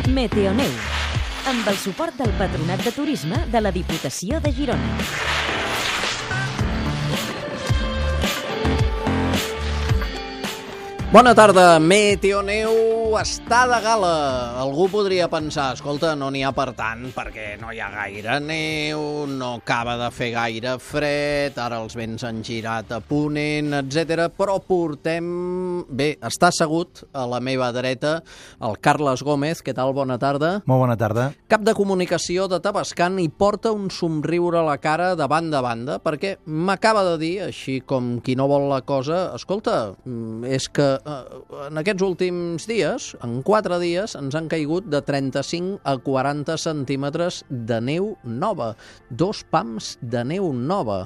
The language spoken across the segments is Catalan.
Meteoneu, amb el suport del Patronat de Turisme de la Diputació de Girona. Bona tarda, Meteoneu està de gala. Algú podria pensar, escolta, no n'hi ha per tant, perquè no hi ha gaire neu, no acaba de fer gaire fred, ara els vents han girat a ponent, etc. Però portem... Bé, està assegut a la meva dreta el Carles Gómez. Què tal? Bona tarda. Molt bona tarda. Cap de comunicació de Tavascan i porta un somriure a la cara de banda a banda, perquè m'acaba de dir, així com qui no vol la cosa, escolta, és que en aquests últims dies, en 4 dies, ens han caigut de 35 a 40 centímetres de neu nova. 2 pams de neu nova.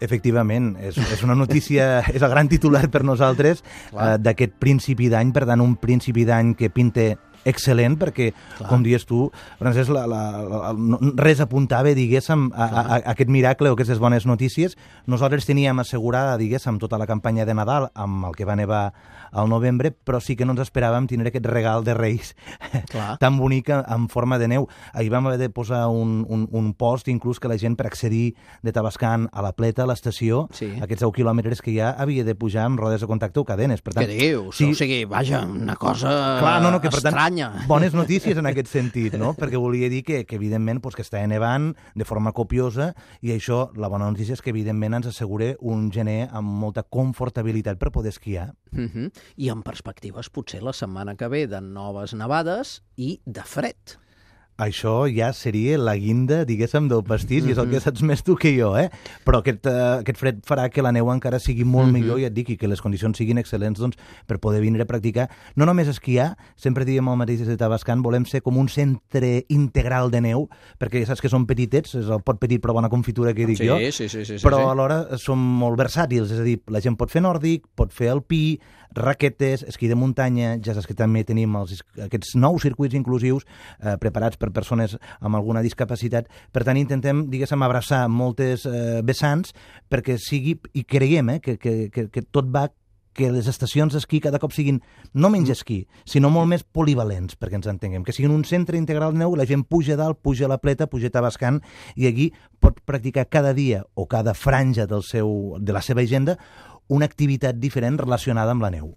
Efectivament, és una notícia, és el gran titular per nosaltres d'aquest principi d'any, per tant, un principi d'any que pinta excel·lent, perquè, com dius tu, Francesc, res apuntava, diguéssim, a aquest miracle o aquestes bones notícies. Nosaltres teníem assegurada, diguéssim, tota la campanya de Nadal amb el que va nevar al novembre, però sí que no ens esperàvem tenir aquest regal de Reis tan bonic en forma de neu. Ahir vam haver de posar un post, inclús que la gent per accedir de Tavascan a la Pleta, a l'estació, aquests 10 quilòmetres que hi ha, havia de pujar amb rodes de contacte o cadenes. Per tant, què dius? O sigui, vaja, una cosa estranya. Bones notícies en aquest sentit, no? Perquè volia dir que evidentment, que estava nevant de forma copiosa, i això, la bona notícia és que, evidentment, ens assegura un gener amb molta confortabilitat per poder esquiar. I en perspectives, potser la setmana que ve, de noves nevades i de fred. Això ja seria la guinda, diguéssim, del pastís, i és el que saps més tu que jo, eh? Però aquest fred farà que la neu encara sigui molt millor, ja et dic, i que les condicions siguin excel·lents, doncs, per poder vindre a practicar. No només esquiar, sempre diem el mateix des de Tavascan, volem ser com un centre integral de neu, perquè ja saps que són petitets, és el pot petit però bona confitura que dic jo, però alhora som molt versàtils, és a dir, la gent pot fer nòrdic, pot fer alpí, raquetes, esquí de muntanya, ja saps que també tenim aquests nous circuits inclusius preparats per persones amb alguna discapacitat. Per tant, intentem, diguéssim, abraçar moltes vessants perquè sigui, i creiem que tot va que les estacions d'esquí cada cop siguin no menys esquí, sinó molt més polivalents, perquè ens entenguem, que siguin un centre integral de neu, la gent puja dalt, puja a la Pleta, puja a Tavascan, i aquí pot practicar cada dia o cada franja de la seva agenda una activitat diferent relacionada amb la neu.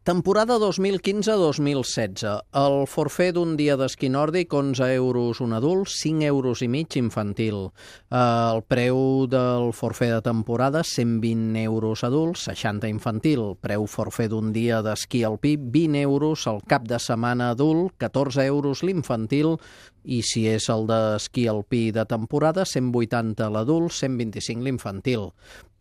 Temporada 2015-2016. El forfait d'un dia d'esquí nòrdic, 11 euros un adult, 5 euros i mig infantil. El preu del forfait de temporada, 120 euros adult, 60 infantil. Preu forfait d'un dia d'esquí alpí, 20 euros el cap de setmana adult, 14 euros l'infantil, i si és el d'esquí alpí de temporada, 180 l'adult, 125 l'infantil.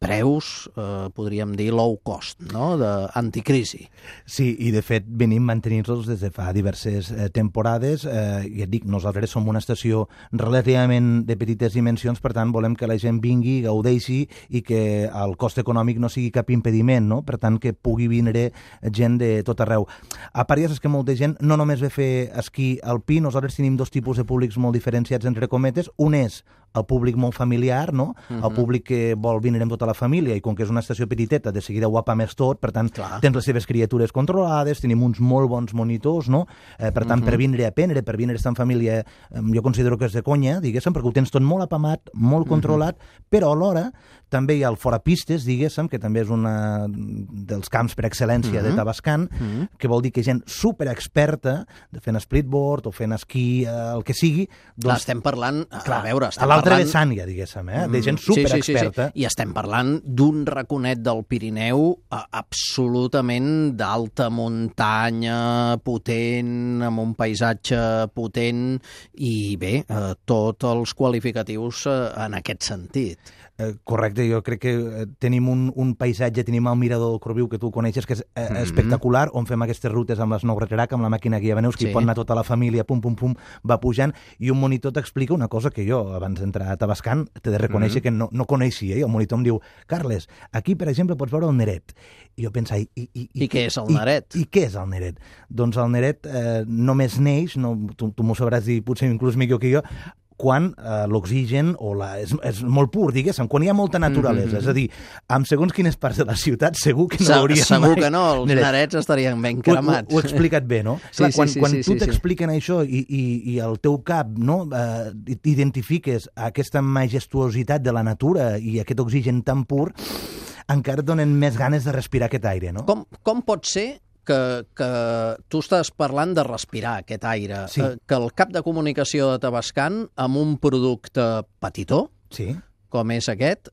Preus, podríem dir, low cost, no?, d'anticrisi. Sí, i de fet venim mantenint-los des de fa diverses temporades. I et dic, nosaltres som una estació relativament de petites dimensions, per tant volem que la gent vingui, gaudeixi i que el cost econòmic no sigui cap impediment, no? Per tant, que pugui vindre gent de tot arreu. A part, ja saps que molta gent no només ve a fer esquí alpí, nosaltres tenim 2 tipus de públics molt diferenciats, entre cometes. Un és el públic molt familiar, no? El públic que vol vindre amb tota la família, i com que és una estació petiteta, de seguida ho apames tot, per tant, tens les seves criatures controlades, tenim uns molt bons monitors, no? Per tant, per vindre a aprendre, per vindre a estar en família, jo considero que és de conya, diguéssim, perquè ho tens tot molt apamat, molt controlat, però alhora també hi ha el forapistes, diguéssim, que també és un dels camps per excel·lència de Tavascan, que vol dir que gent superexperta, fent splitboard o fent esquí, el que sigui... Clar, estem parlant... a veure, a l'altra vessant ja, diguéssim, de gent superexperta. I estem parlant d'un raconet del Pirineu absolutament d'alta muntanya, potent, amb un paisatge potent, i bé, tots els qualificatius en aquest sentit. Correcte, jo crec que tenim un paisatge, tenim el mirador del Corbiu, que tu coneixes, que és espectacular, on fem aquestes rutes amb les Snowratrack, amb la màquina guia veneus, que hi pot anar tota la família, pum, pum, pum, va pujant, i un monitor t'explica una cosa que jo, abans d'entrar a Tavascan, t'he de reconèixer que no coneixia, i el monitor em diu, Carles, aquí, per exemple, pots veure el Neret. I jo pensava, I què és el Neret? I què és el Neret? Doncs el Neret només neix, tu m'ho sabràs dir potser inclús millor que jo, quan l'oxigen és molt pur, diguéssim, quan hi ha molta naturalesa. És a dir, amb segons quines parts de la ciutat segur que no hauríem Segur que no, els narets estarien ben cremats. Ho he explicat bé, no? Clar, quan tu t'expliquen això i al teu cap identifiques aquesta majestuositat de la natura i aquest oxigen tan pur, encara et donen més ganes de respirar aquest aire, no? Com pot ser que tu estàs parlant de respirar aquest aire, Sí. que el cap de comunicació de Tavascan, amb un producte petitó, Sí. com és aquest,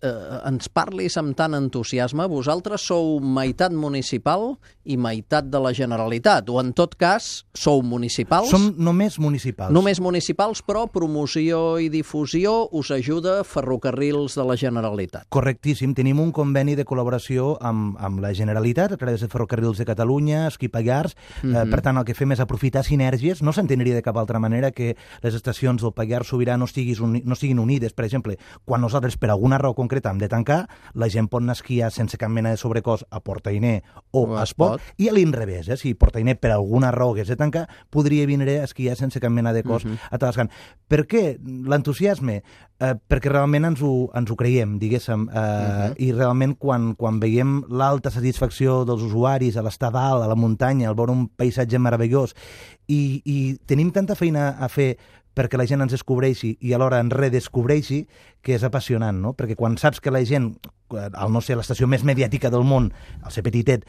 ens parlis amb tant entusiasme. Vosaltres sou meitat municipal i meitat de la Generalitat, o en tot cas, sou municipals? Som només municipals. Només municipals, però promoció i difusió us ajuda Ferrocarrils de la Generalitat. Correctíssim. Tenim un conveni de col·laboració amb la Generalitat a través de Ferrocarrils de Catalunya, Esquí Pallars. Per tant, el que fem és aprofitar sinergies. No s'entendria de cap altra manera que les estacions del Pallars Sobirà no siguin unides. Per exemple, quan nosaltres per alguna raó concreta hem de tancar, la gent pot anar a esquiar sense cap mena de sobrecost a Portainer o a Espot, i a l'inrevés, si Portainer per alguna raó hagués de tancar, podria vindre a esquiar sense cap mena de cost a Tavascan. Per què l'entusiasme? Perquè realment ens ho creiem, diguéssim, i realment quan veiem l'alta satisfacció dels usuaris a l'estar dalt, a la muntanya, al veure un paisatge meravellós, i tenim tanta feina a fer perquè la gent ens descobreixi i alhora ens redescobreixi, que és apassionant, no? Perquè quan saps que la gent, al no ser l'estació més mediàtica del món, al ser petitet,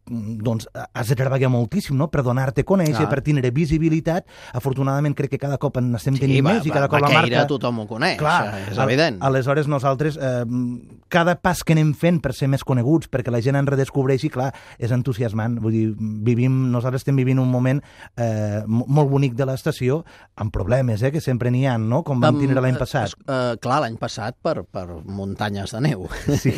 doncs has de treballar moltíssim, no?, per donar-te a conèixer, per tindre visibilitat. Afortunadament crec que cada cop en estem tenint més i cada cop la marca... tothom ho coneix, clar, és evident. Aleshores nosaltres, cada pas que anem fent per ser més coneguts, perquè la gent ens redescobreixi, clar, és entusiasmant. Vull dir, nosaltres estem vivint un moment molt bonic de l'estació, amb problemes, que sempre n'hi ha, no?, com vam tindre l'any passat. Clar, l'any passat per muntanyes de neu. Sí,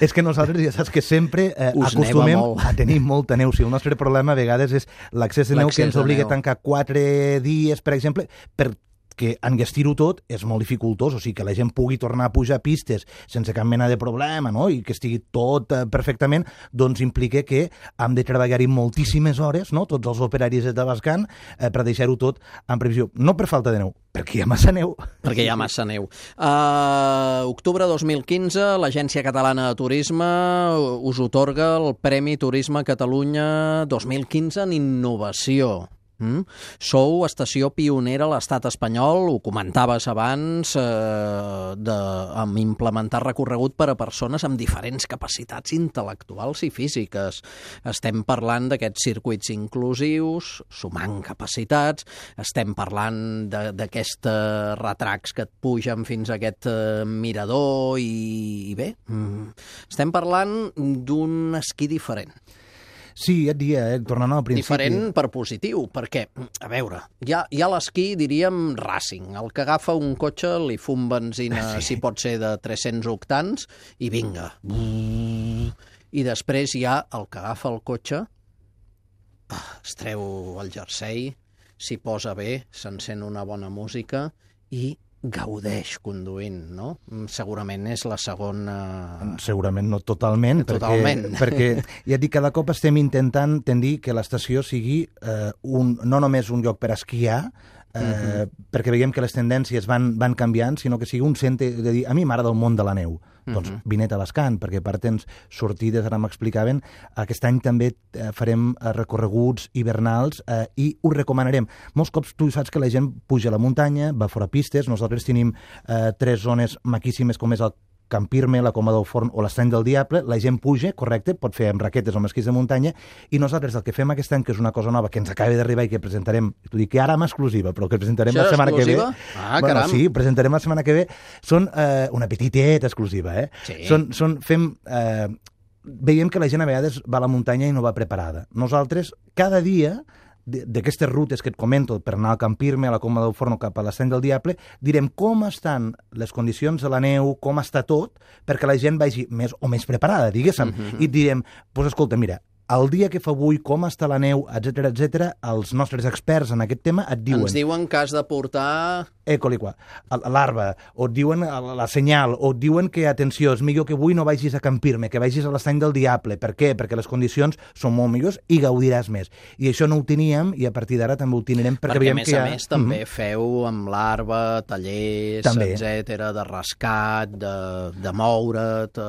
és que nosaltres ja saps que sempre acostumem a tenir molta neu. Si el nostre problema a vegades és l'accés de neu, que ens obliga a tancar 4 dies, per exemple, perquè enllestir-ho tot és molt dificultós, o sigui, que la gent pugui tornar a pujar pistes sense cap mena de problema, no?, i que estigui tot perfectament, doncs implica que hem de treballar-hi moltíssimes hores, no?, tots els operaris de Tavascan, per deixar-ho tot en previsió. No per falta de neu, perquè hi ha massa neu. Perquè hi ha massa neu. Octubre 2015, l'Agència Catalana de Turisme us otorga el Premi Turisme Catalunya 2015 en innovació. Sou estació pionera a l'estat espanyol, ho comentaves abans, amb implementar recorregut per a persones amb diferents capacitats intel·lectuals i físiques. Estem parlant d'aquests circuits inclusius, sumant capacitats, estem parlant d'aquests retracs que et pugen fins a aquest mirador i bé, estem parlant d'un esquí diferent. Sí, et dia, tornant al principi... Diferent per positiu, perquè, a veure, hi ha l'esquí, diríem, racing. El que agafa un cotxe, li fum benzina, si pot ser de 300 octans, i vinga. I després hi ha el que agafa el cotxe, es treu el jersei, s'hi posa bé, s'encén una bona música i gaudeix conduint, no? Segurament és la segona... Segurament no totalment, perquè ja et dic, cada cop estem intentant tendir que l'estació sigui no només un lloc per esquiar, perquè veiem que les tendències van canviant, sinó que sigui un centre de dir, a mi m'agrada el món de la neu. Doncs vine a Tavascan, perquè per temps sortides, ara m'explicaven, aquest any també farem recorreguts hivernals i ho recomanarem. Molts cops tu saps que la gent puja a la muntanya, va fora pistes, nosaltres tenim 3 zones maquíssimes com és el Campirme, la Coma del Forn o l'Estany del Diable, la gent puja, correcte, pot fer amb raquetes o amb esquís de muntanya, i nosaltres el que fem aquest any, que és una cosa nova, que ens acaba d'arribar i que presentarem, t'ho dic que ara amb exclusiva, però que presentarem la setmana que ve. Caram! Sí, presentarem la setmana que ve. Són una petiteta exclusiva, Sí. Veiem que la gent a vegades va a la muntanya i no va preparada. Nosaltres, cada dia, d'aquestes rutes que et comento per anar al Campirme, a la Coma del Forn o cap a l'Estany del Diable, direm com estan les condicions de la neu, com està tot, perquè la gent vagi més o menys preparada, diguéssim. I direm, doncs escolta, mira, el dia que fa avui, com està la neu, etc, els nostres experts en aquest tema et diuen... Ens diuen que has de portar... l'arba, o et diuen la senyal, o et diuen que, atenció, és millor que avui no vagis a Campirme, que vagis a l'Estany del Diable. Per què? Perquè les condicions són molt millors i gaudiràs més. I això no ho teníem i a partir d'ara també ho tindrem perquè veiem que a més també feu amb l'arba, tallers, etc, de rescat, de moure't...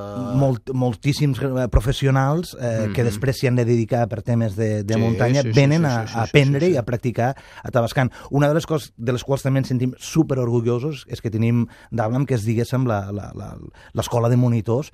Moltíssims professionals que després s'hi han de dedicar per temes de muntanya venen a aprendre i a practicar a Tavascan. Una de les coses de les quals també ens sentim superorgullosos és que tenim d'Àvlam, que és, diguéssim, l'escola de monitors,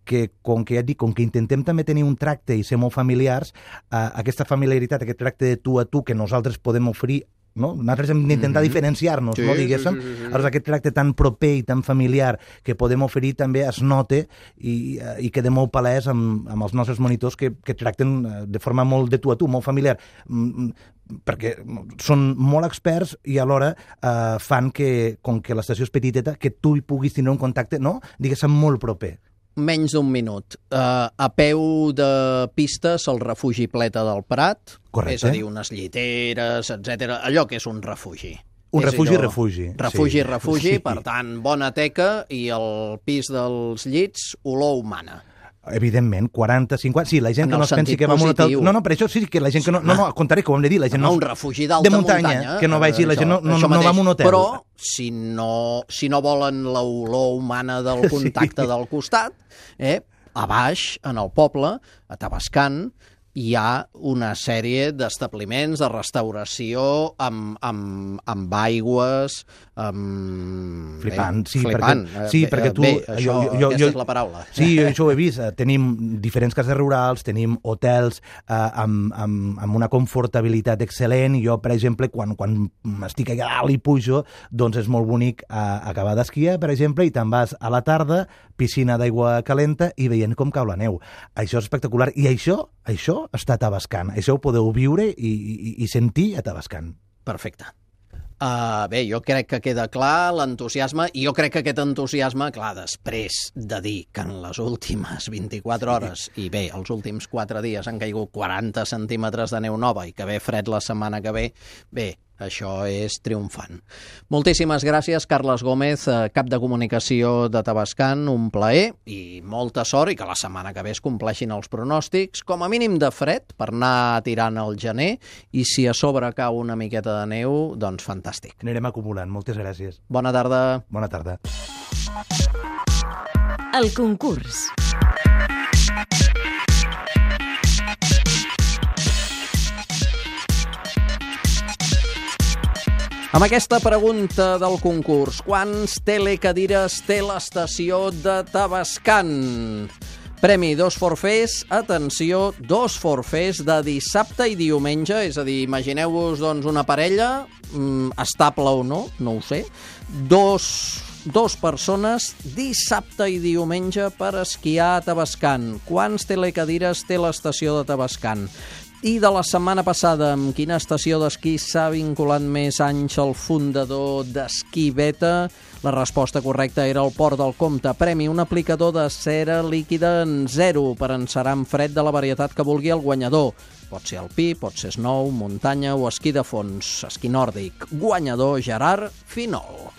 que, com que ja et dic, com que intentem també tenir un tracte i ser molt familiars, aquesta familiaritat, aquest tracte de tu a tu que nosaltres podem oferir, no? Nosaltres hem d'intentar diferenciar-nos, no, diguéssim. Llavors, aquest tracte tan proper i tan familiar que podem oferir també es note i queda molt palès amb els nostres monitors que tracten de forma molt de tu a tu, molt familiar, perquè són molt experts i alhora fan que, com que l'estació és petiteta, que tu hi puguis tenir un contacte, no? Diguéssim, molt proper. Menys d'un minut. A peu de pistes, el refugi Pleta del Prat. Correcte. És a dir, unes lliteres, etc. Allò que és un refugi. Un refugi. Refugi, per tant, bona teca i el pis dels llits, olor humana. Evidentment, 40, 50... Sí, la gent que no es pensi que va a un hotel... No, per això sí que la gent que no... No, al contrari, que ho hem de dir, la gent no... Un refugi d'alta muntanya. Que no vagi, la gent no va a un hotel. Però, si no volen l'olor humana del contacte del costat, a baix, en el poble, a Tavascan, hi ha una sèrie d'establiments de restauració amb aigües... Flipant, sí, flipant. Perquè tu... Bé, aquesta és la paraula. Sí, jo això ho he vist. Tenim diferents cases rurals, tenim hotels amb una confortabilitat excel·lent. Jo, per exemple, quan estic allà dalt i pujo, doncs és molt bonic acabar d'esquiar, per exemple, i te'n vas a la tarda, piscina d'aigua calenta i veient com cau la neu. Això és espectacular. I això està a Tavascan. Això ho podeu viure i sentir a Tavascan. Perfecte. Bé, jo crec que queda clar l'entusiasme, i jo crec que aquest entusiasme, clar, després de dir que en les últimes 24 hores, i bé, els últims 4 dies han caigut 40 centímetres de neu nova i que ve fred la setmana que ve, bé, això és triomfant. Moltíssimes gràcies, Carles Gómez, cap de comunicació de Tavascan, un plaer i molta sort, i que la setmana que ve es compleixin els pronòstics, com a mínim de fred, per anar tirant al gener, i si a sobre cau una miqueta de neu, doncs fantàstic. Anirem acumulant. Moltes gràcies. Bona tarda. Bona tarda. El concurs. Amb aquesta pregunta del concurs, quants telecadires té l'estació de Tavascan? Premi 2 forfers, atenció, 2 forfers de dissabte i diumenge, és a dir, imagineu-vos doncs, una parella, estable o no, no ho sé, dos persones dissabte i diumenge per esquiar a Tavascan. Quants telecadires té l'estació de Tavascan? I de la setmana passada, amb quina estació d'esquí s'ha vinculat més anys el fundador d'Esquí Beta? La resposta correcta era el Port del Comte. Premi, un aplicador de cera líquida en 0 per encerar en fred de la varietat que vulgui el guanyador. Pot ser alpí, pot ser snow, muntanya o esquí de fons. Esquí nòrdic. Guanyador Gerard Finol.